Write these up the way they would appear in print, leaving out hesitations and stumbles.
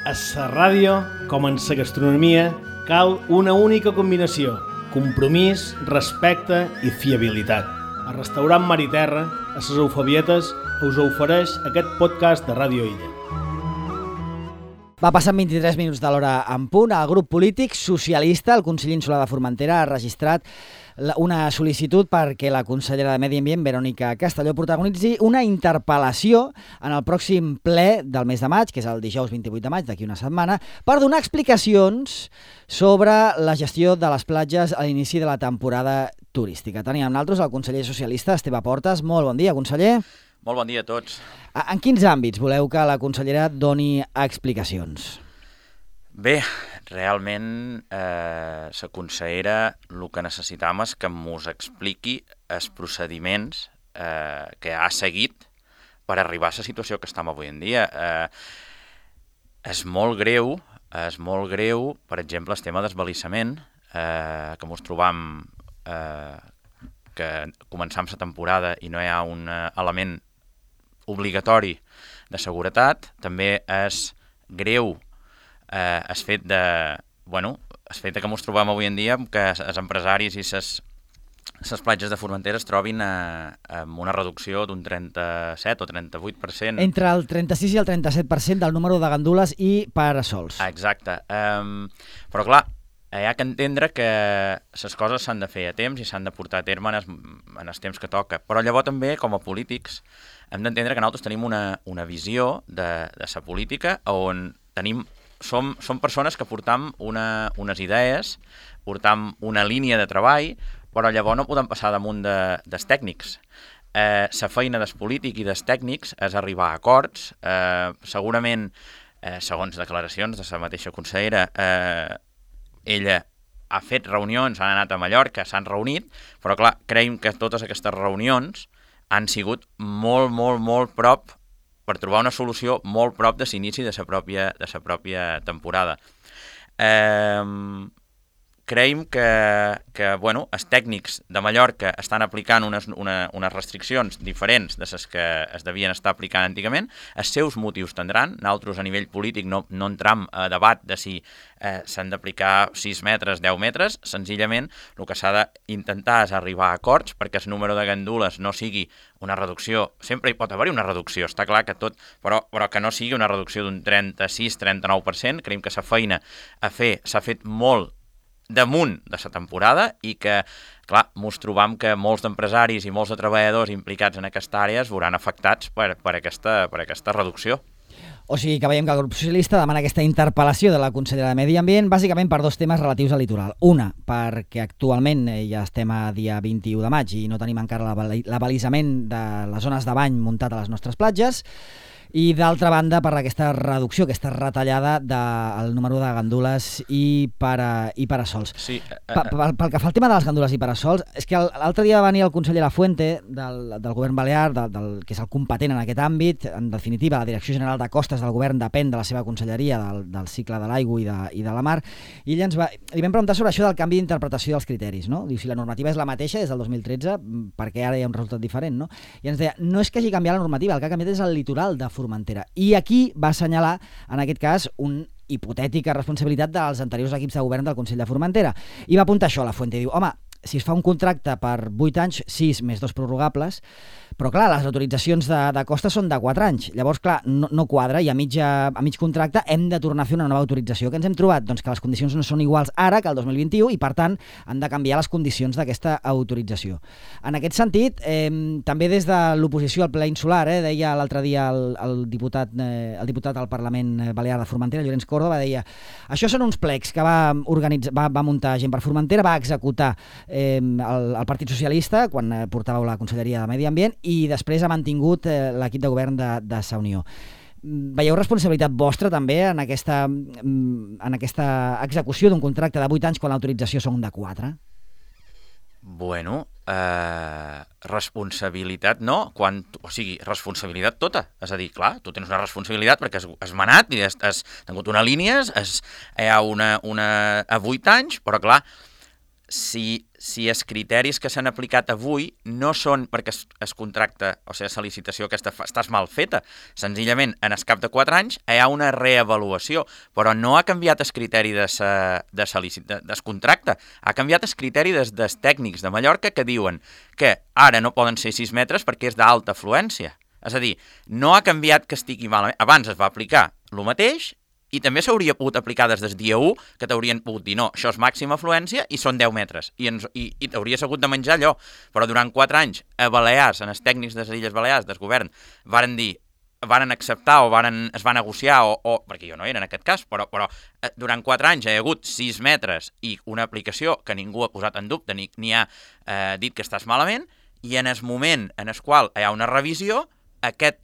A la ràdio, com en la gastronomia, cal una única combinació: compromís, respecte i fiabilitat. El restaurant Mar i Terra, a les Eufebietes, us ofereix aquest podcast de Ràdio Illa. Va passant 23 minuts de l'hora en punt. El grup polític socialista, el Consell Insular de Formentera, ha registrat una sol·licitud perquè la consellera de Medi Ambient, Verònica Castelló, protagonitzi una interpel·lació en el pròxim ple del mes de maig, que és el dijous 28 de maig, d'aquí una setmana, per donar explicacions sobre la gestió de les platges a l'inici de la temporada turística. Tenim amb nosaltres el conseller socialista, Esteve Portes. Molt bon dia, conseller. Molt bon dia a tots. En quins àmbits voleu que la consellera doni explicacions? Bé, realment la consellera el que necessitam és que ens expliqui els procediments que ha seguit per arribar a la situació que estem avui en dia. És molt greu, per exemple, el tema d'esbalissament, que ens trobam que començam la temporada i no hi ha un element obligatori de seguretat. També és greu el fet de que ens trobem avui en dia que els empresaris i les platges de Formentera es trobin amb una reducció d'un 37 o 38%. Entre el 36 i el 37% del número de gandules i parasols. Exacte. Però clar, hi ha que entendre que les coses s'han de fer a temps i s'han de portar a terme en el temps que toca. Però llavors també, com a polítics, hem d'entendre que nosaltres tenim una visió de la política on som persones que portam unes idees, portam una línia de treball, però llavors no podem passar damunt dels tècnics. La feina dels polítics i dels tècnics és arribar a acords. Segurament, segons declaracions de la mateixa consellera, ella ha fet reunions, han anat a Mallorca, s'han reunit, però clar, creiem que totes aquestes reunions han sigut molt prop per trobar una solució molt prop de l'inici de la pròpia temporada. Creiem que els tècnics de Mallorca estan aplicant unes restriccions diferents de les que es devien estar aplicant antigament. Els seus motius tindran. Nosaltres, a nivell polític, no entram a debat de si s'han d'aplicar 6 metres, 10 metres. Senzillament, el que s'ha d'intentar és arribar a acords perquè el número de gandules no sigui una reducció. Sempre hi pot haver una reducció, està clar que tot, però que no sigui una reducció d'un 36-39%. Creiem que la feina a fer s'ha fet molt damunt de la temporada i que, clar, ens trobam que molts d'empresaris i molts de treballadors implicats en aquesta àrea es veuran afectats per aquesta reducció. O sigui que veiem que el grup socialista demana aquesta interpel·lació de la consellera de Medi Ambient bàsicament per dos temes relatius al litoral. Una, perquè actualment ja estem a dia 21 de maig i no tenim encara l'abalisament de les zones de bany muntat a les nostres platges, i d'altra banda per aquesta reducció, aquesta retallada del número de gandules i parasols. Sí, pel que fa al tema de les gandules i parasols, és que l'altre dia va venir el conseller Lafuente del govern balear, que és el competent en aquest àmbit. En definitiva, la Direcció General de Costes del govern depèn de la seva conselleria, del cicle de l'aigua i de la mar, i ell li vam preguntar sobre això del canvi d'interpretació dels criteris, no? Diu, si la normativa és la mateixa des del 2013, perquè ara hi ha un resultat diferent, no? I ens deia, no és que hagi canviat la normativa, el que ha canviat és el litoral de Formentera. I aquí va assenyalar, en aquest cas, una hipotètica responsabilitat dels anteriors equips de govern del Consell de Formentera. I va apuntar això a Lafuente. Diu, home, si es fa un contracte per 8 anys, 6 més 2 prorrogables, però clar, les autoritzacions de costes són de 4 anys. Llavors, clar, no quadra i a mig contracte hem de tornar a fer una nova autorització. Què ens hem trobat? Doncs que les condicions no són iguals ara que el 2021 i, per tant, han de canviar les condicions d'aquesta autorització. En aquest sentit, també des de l'oposició al ple insular, deia l'altre dia el diputat al Parlament Balear de Formentera, Llorenç Córdoba, deia, això són uns plecs que va muntar gent per Formentera, va executar el Partit Socialista quan portàveu la Conselleria de Medi Ambient i després ha mantingut l'equip de govern de Sa Unió. Veieu responsabilitat vostra també en aquesta execució d'un contracte de 8 anys quan l'autorització són de 4? Bueno, responsabilitat no, responsabilitat tota. És a dir, clar, tu tens una responsabilitat perquè has manat i has tingut una línia, hi ha a 8 anys, però clar, si els criteris que s'han aplicat avui no són perquè es contracta, o sigui, la licitació aquesta estàs mal feta, senzillament en el cap de 4 anys hi ha una reavaluació, però no ha canviat el criteri del contracte, ha canviat el criteri dels tècnics de Mallorca que diuen que ara no poden ser 6 metres perquè és d'alta afluència. És a dir, no ha canviat que estigui malament. Abans es va aplicar el mateix i també s'hauria pogut aplicar des del dia 1 que t'haurien pogut dir no, això és màxima afluència i són 10 metres i t'hauries hagut de menjar allò, però durant 4 anys a Balears, en els tècnics de les Illes Balears del govern, varen acceptar o es va negociar perquè jo no era en aquest cas, però durant 4 anys hi ha hagut 6 metres i una aplicació que ningú ha posat en dubte ni ha dit que estàs malament, i en el moment en el qual hi ha una revisió, aquest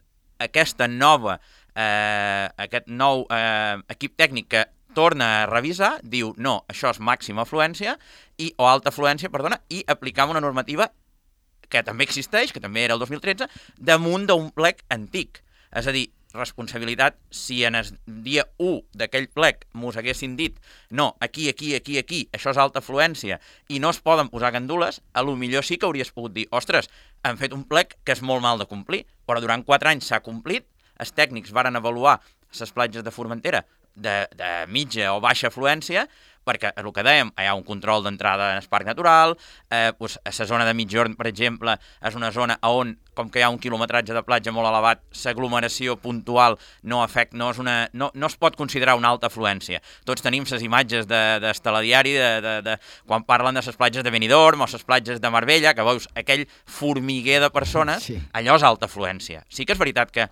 nou equip tècnic que torna a revisar, diu, no, això és màxima afluència o alta afluència, perdona, i aplicam una normativa que també existeix, que també era el 2013, damunt d'un plec antic. És a dir, responsabilitat, si en el dia 1 d'aquell plec mos haguessin dit no, aquí, això és alta afluència i no es poden posar gandules, a lo millor sí que hauries pogut dir, ostres, han fet un plec que és molt mal de complir, però durant 4 anys s'ha complit, els tècnics varen avaluar les platges de Formentera de mitja o baixa afluència, perquè el que dèiem, hi ha un control d'entrada en el parc natural, a la zona de Migjorn, per exemple, és una zona on, com que hi ha un quilometratge de platja molt elevat, l'aglomeració puntual no es pot considerar una alta afluència. Tots tenim les imatges del telediari quan parlen de les platges de Benidorm o les platges de Marbella, que veus aquell formiguer de persones, sí. Allò és alta afluència. Sí que és veritat que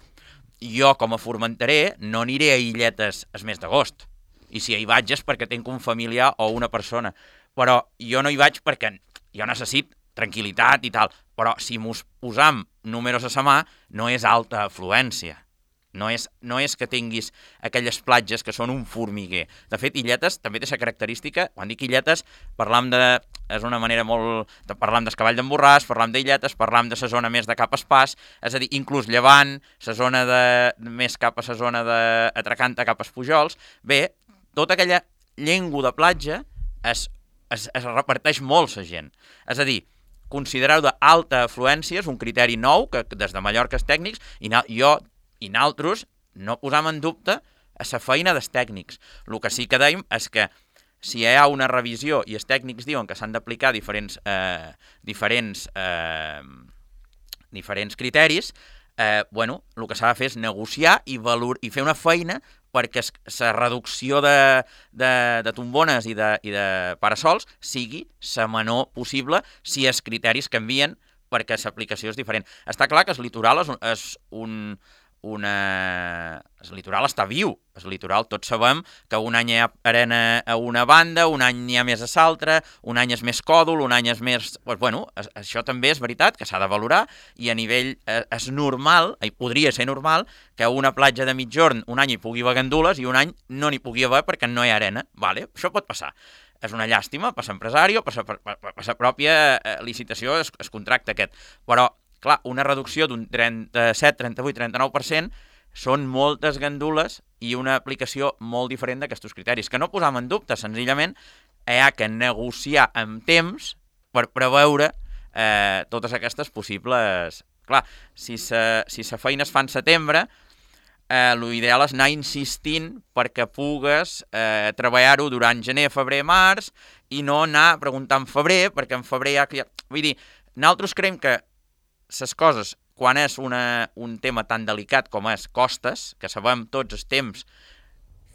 jo, com a formenterer, no aniré a Illetes el mes d'agost. I si hi vaig és perquè tinc un familiar o una persona. Però jo no hi vaig perquè jo necessito tranquil·litat i tal. Però si mos posam números a sa mà, no és alta afluència. No és que tinguis aquelles platges que són un formiguer. De fet, Illetes també té la característica, quan dic Illetes, és una manera molt... Parlam del Cavall d'en Borràs, parlam d'Illetes, parlam de la zona més de cap a Espàs, és a dir, inclús Llevant, la zona més cap a la zona d'Atracanta, cap a Pujols. Bé, tota aquella llengua de platja es reparteix molt la gent. És a dir, considerar d'alta afluència és un criteri nou que des de Mallorca els tècnics, i nosaltres no posam en dubte a la feina dels tècnics. El que sí que dèiem és que si hi ha una revisió i els tècnics diuen que s'han d'aplicar diferents criteris, el que s'ha de fer és negociar i fer una feina perquè la reducció de tombones i de parasols sigui la menor possible si els criteris canvien perquè l'aplicació és diferent. Està clar que el litoral el litoral està viu. El litoral tots sabem que un any hi ha arena a una banda, un any n'hi ha més a l'altra, un any és més còdol, un any és més... això també és veritat que s'ha de valorar i a nivell és normal, podria ser normal, que una platja de Migjorn un any hi pugui haver gandules i un any no n'hi pugui haver perquè no hi ha arena. Vale? Això pot passar. És una llàstima per l'empresari o per la pròpia licitació, el contracte aquest. Però clar, una reducció d'un 37, 38, 39% són moltes gandules i una aplicació molt diferent d'aquests criteris, que no posam en dubte, senzillament hi ha que negociar amb temps per preveure totes aquestes possibles... Clar, si la feina es fa en setembre, l'ideal és anar insistint perquè pugues treballar-ho durant gener, febrer, març i no anar a preguntar en febrer, perquè en febrer ja... Vull dir, nosaltres creiem que les coses, quan és un tema tan delicat com és costes, que sabem tots els temps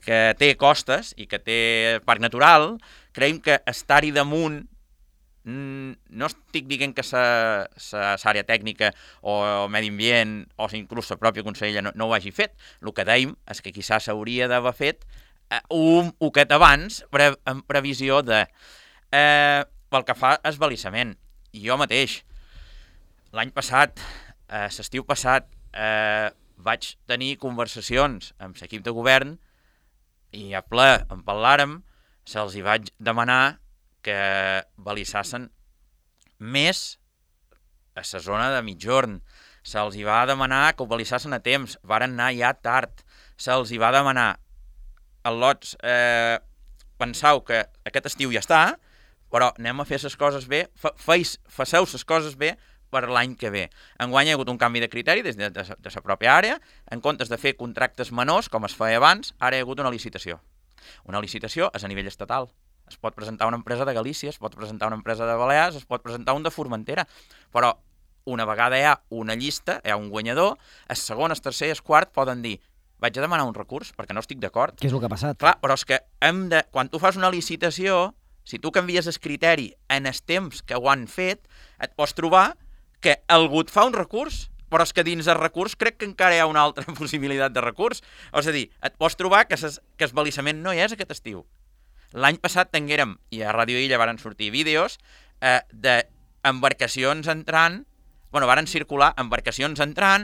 que té costes i que té parc natural, creiem que estar-hi damunt, no estic dient que l'àrea tècnica o medi ambient o inclús la pròpia consellera no ho hagi fet. El que dèiem és que quizás s'hauria d'haver fet un poquet abans en previsió de... Pel que fa al balisament, jo mateix, l'any passat, l'estiu passat, vaig tenir conversacions amb l'equip de govern i a ple en parlàrem, se'ls hi vaig demanar que balissassen més a la zona de Migjorn. Se'ls hi va demanar que ho balissassen a temps, varen anar ja tard. Se'ls hi va demanar al lots, penseu que aquest estiu ja està, però anem a fer les coses bé, faceu les coses bé per l'any que ve. Enguany hi ha hagut un canvi de criteri des de la pròpia àrea, en comptes de fer contractes menors, com es feia abans, ara hi ha hagut una licitació. Una licitació és a nivell estatal. Es pot presentar una empresa de Galícia, es pot presentar una empresa de Balears, es pot presentar un de Formentera, però una vegada hi ha una llista, hi ha un guanyador, el segon, el tercer i el quart poden dir vaig a demanar un recurs perquè no estic d'acord. Què és el que ha passat? Clar, però és que quan tu fas una licitació, si tu canvies el criteri en els temps que ho han fet, et pots trobar que algú et fa un recurs, però és que dins del recurs crec que encara hi ha una altra possibilitat de recurs. És a dir, et pots trobar que el balissament no hi és aquest estiu. L'any passat tinguérem, i a Ràdio Illa varen sortir vídeos, d'embarcacions entrant, varen circular embarcacions entrant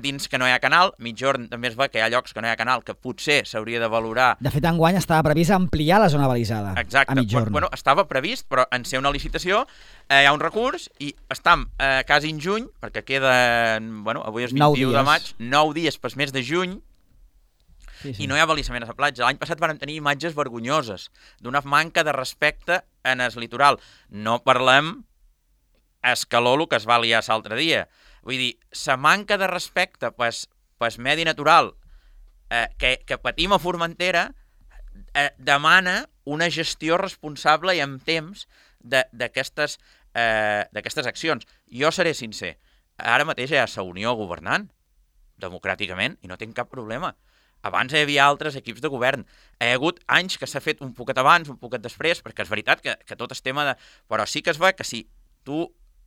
dins que no hi ha canal. Mitjorn també es va que hi ha llocs que no hi ha canal que potser s'hauria de valorar. De fet, enguany estava previst ampliar la zona balisada. Exacte. A Mitjorn. Estava previst, però en ser una licitació hi ha un recurs i estem quasi en juny, perquè queden, avui és 21 de maig, 9 dies per mes de juny, sí. I no hi ha balissament a la platja. L'any passat vam tenir imatges vergonyoses d'una manca de respecte en el litoral. No parlem escaló el que es va liar l'altre dia. Vull dir, la manca de respecte pel medi natural que patim a Formentera demana una gestió responsable i amb temps d'aquestes accions. Jo seré sincer, ara mateix hi ha la Unió governant democràticament i no tinc cap problema. Abans hi havia altres equips de govern. Hi ha hagut anys que s'ha fet un poquet abans, un poquet després, perquè és veritat que tot és tema de... Però sí que es va que si tu...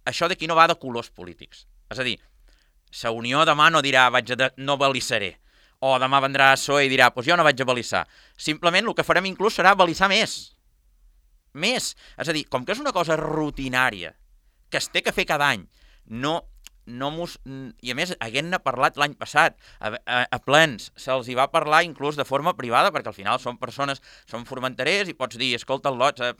Això d'aquí no va de colors polítics. És a dir, la Unió demà no dirà no balissaré, o demà vendrà PSOE i dirà jo no vaig a balissar. Simplement el que farem inclús serà balissar més. Més. És a dir, com que és una cosa rutinària, que es té que fer cada any, i a més, haguent-ne parlat l'any passat, a plens, se'ls hi va parlar inclús de forma privada, perquè al final són persones, són formenterers i pots dir, escolta, Lots,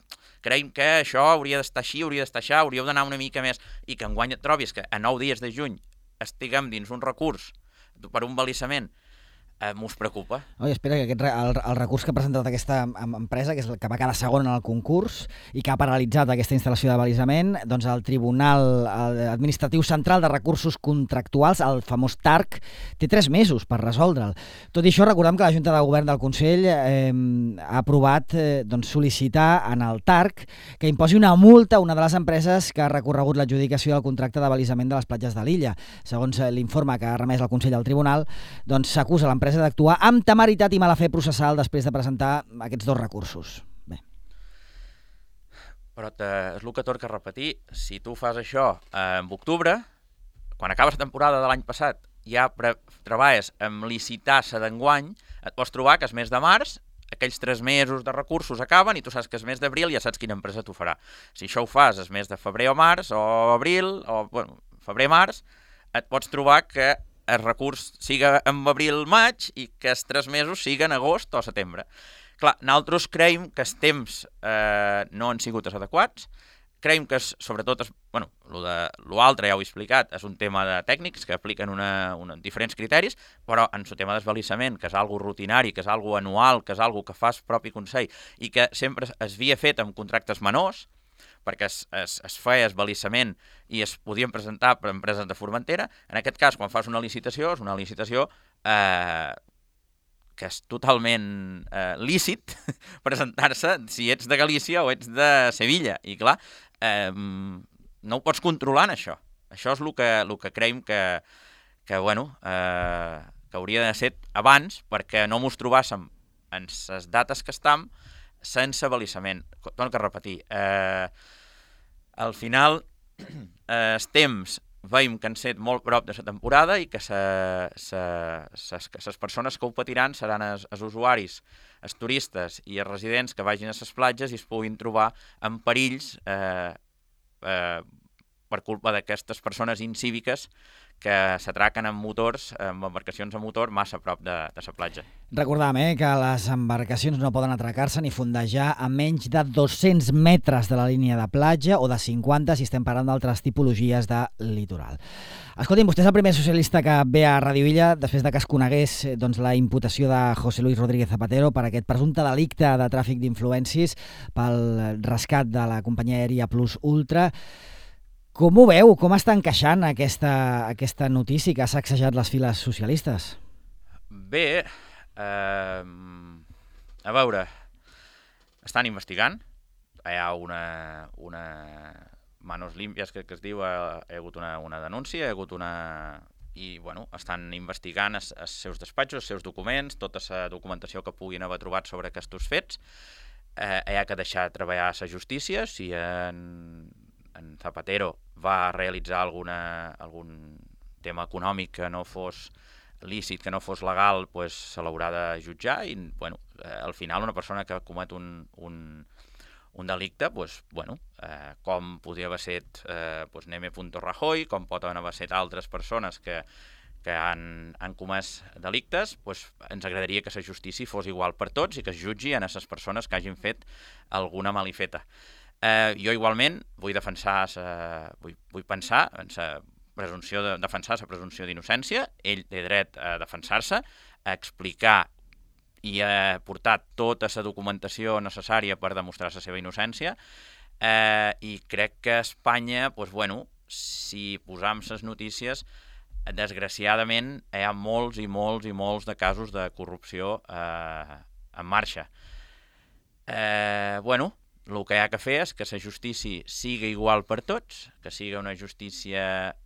creiem que això hauria d'estar així, hauríeu d'anar una mica més, i que enguany et trobis que a 9 dies de juny estiguem dins un recurs per un balissament, m'ho preocupa. Oi, espera, que el recurs que ha presentat aquesta empresa, que és el que va quedar segon en el concurs i que ha paralitzat aquesta instal·lació de balisament, doncs el Tribunal Administratiu Central de Recursos Contractuals, el famós TARC, té 3 mesos per resoldre'l. Tot i això, recordem que la Junta de Govern del Consell ha aprovat sol·licitar en el TARC que imposi una multa a una de les empreses que ha recorregut l'adjudicació del contracte de balisament de les platges de l'illa. Segons l'informe que ha remès el Consell al Tribunal, doncs s'acusa l'empresa d'actuar amb temeritat i mala fe processal després de presentar aquests 2 recursos. Bé. Però és el que torca a repetir. Si tu fas això en octubre, quan acabes la temporada de l'any passat, ja treballes amb licitar-se d'enguany, et pots trobar que el mes de març aquells 3 mesos de recursos acaben i tu saps que el mes d'abril ja saps quina empresa t'ho farà. Si això ho fas el mes de febrer o març, o abril, febrer-març, et pots trobar que el recurs siga en abril-maig i que els 3 mesos siguen agost o setembre. Clar, nosaltres creiem que els temps no han sigut els adequats, creiem que sobretot, l'altre ja ho he explicat, és un tema de tècnics que apliquen diferents criteris, però en el tema d'esbalissament, que és algo rutinari, que és algo anual, que és algo que fa el propi Consell i que sempre es havia fet amb contractes menors, perquè es feia esbalissament i es podien presentar per empreses de Formentera. En aquest cas, quan fas una licitació, és una licitació que és totalment lícit presentar-se si ets de Galícia o ets de Sevilla. I clar, no ho pots controlar en això. Això és el que creiem que hauria de ser abans, perquè no mos trobàssim en les dates que estem sense balissament. Torno a repetir. Al final, els temps veiem que han set molt prop de la temporada i que les persones que ho patiran seran els usuaris, els turistes i els residents que vagin a les platges i es puguin trobar en perills per culpa d'aquestes persones incíviques que s'atraquen amb motors, amb embarcacions a motor massa a prop de la platja. Recordam que les embarcacions no poden atracar-se ni fondejar a menys de 200 metres de la línia de platja o de 50 si estem parlant d'altres tipologies de litoral. Escolti'm, vostè és el primer socialista que ve a Radio Illa després de que es conegués la imputació de José Luis Rodríguez Zapatero per aquest presumpte delicte de tràfic d'influències pel rescat de la companyia aèria Plus Ultra. Com ho veu? Com està encaixant aquesta notícia que ha sacsejat les files socialistes? Bé, a veure, estan investigant, hi ha una manos limpias que es diu, hi ha hagut una denúncia, hi ha hagut i estan investigant els seus despatxos, els seus documents, tota la documentació que puguin haver trobat sobre aquests fets. Hi ha que deixar treballar la justícia. Si en Zapatero va realitzar algun tema econòmic que no fos lícit, que no fos legal, se l'haurà de jutjar i al final una persona que comet un delicte, com podria haver estat Neme Rajoy, com pot haver estat altres persones que han comès delictes, ens agradaria que la justícia fos igual per tots i que es jutgi a les persones que hagin fet alguna malifeta. Jo igualment vull pensar en la presumpció d'innocència. Ell té dret a defensar-se, a explicar i a portar tota la documentació necessària per demostrar la seva innocència, i crec que a Espanya, si posam les notícies, desgraciadament hi ha molts i molts i molts de casos de corrupció en marxa. El que hi ha que fer és que la justícia sigui igual per tots, que sigui una justícia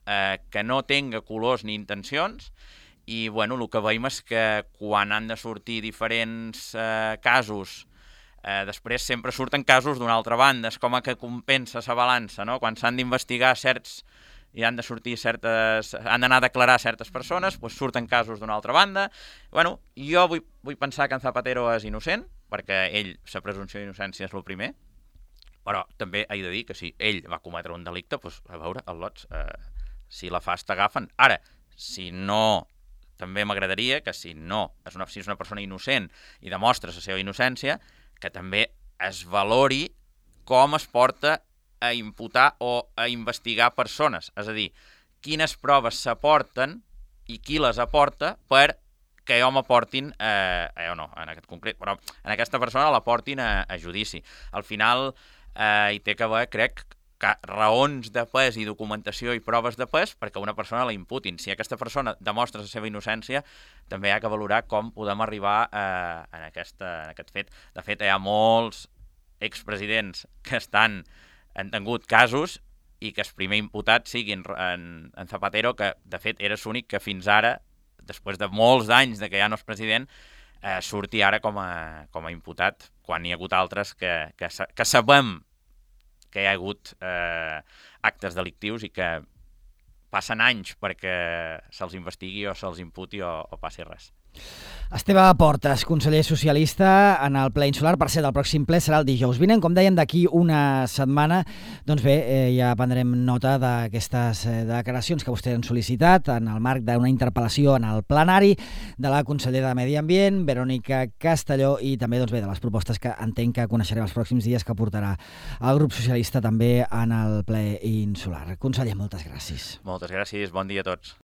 que no tenga colors ni intencions, i el que veiem és que quan han de sortir diferents casos, després sempre surten casos d'una altra banda, és com que compensa la balança, no? Quan s'han d'investigar certs i han d'anar a declarar certes persones, surten casos d'una altra banda. Jo vull pensar que en Zapatero és innocent, perquè ell, la presumpció d'innocència és el primer, però també he de dir que si ell va cometre un delicte, a veure, al lots, si la fas t'agafen. Ara, si no, també m'agradaria que si és una persona innocent i demostra la seva innocència, que també es valori com es porta a imputar o a investigar persones. És a dir, quines proves s'aporten i qui les aporta per que jo m'aportin, en aquest concret, però en aquesta persona l'aportin a judici. Al final hi té que haver, crec, raons de pes i documentació i proves de pes perquè una persona la imputin. Si aquesta persona demostra la seva innocència, també hi ha que valorar com podem arribar en aquest fet. De fet, hi ha molts expresidents que han tingut casos i que el primer imputat sigui en Zapatero, que de fet era l'únic que fins ara, després de molts anys que ja no és president, surti ara com a imputat, quan hi ha hagut altres que sabem que hi ha hagut actes delictius i que passen anys perquè se'ls investigui o se'ls imputi o passi res. Esteve Portes, conseller socialista en el ple insular. Per cert, el pròxim ple serà el dijous vinent. Com dèiem, d'aquí una setmana, doncs bé, ja prendrem nota d'aquestes declaracions que vostès han sol·licitat en el marc d'una interpel·lació en el plenari de la consellera de Medi Ambient, Verònica Castelló, i també doncs bé, de les propostes que entenc que coneixerem els pròxims dies que portarà el grup socialista també en el ple insular. Conseller, moltes gràcies. Moltes gràcies, bon dia a tots.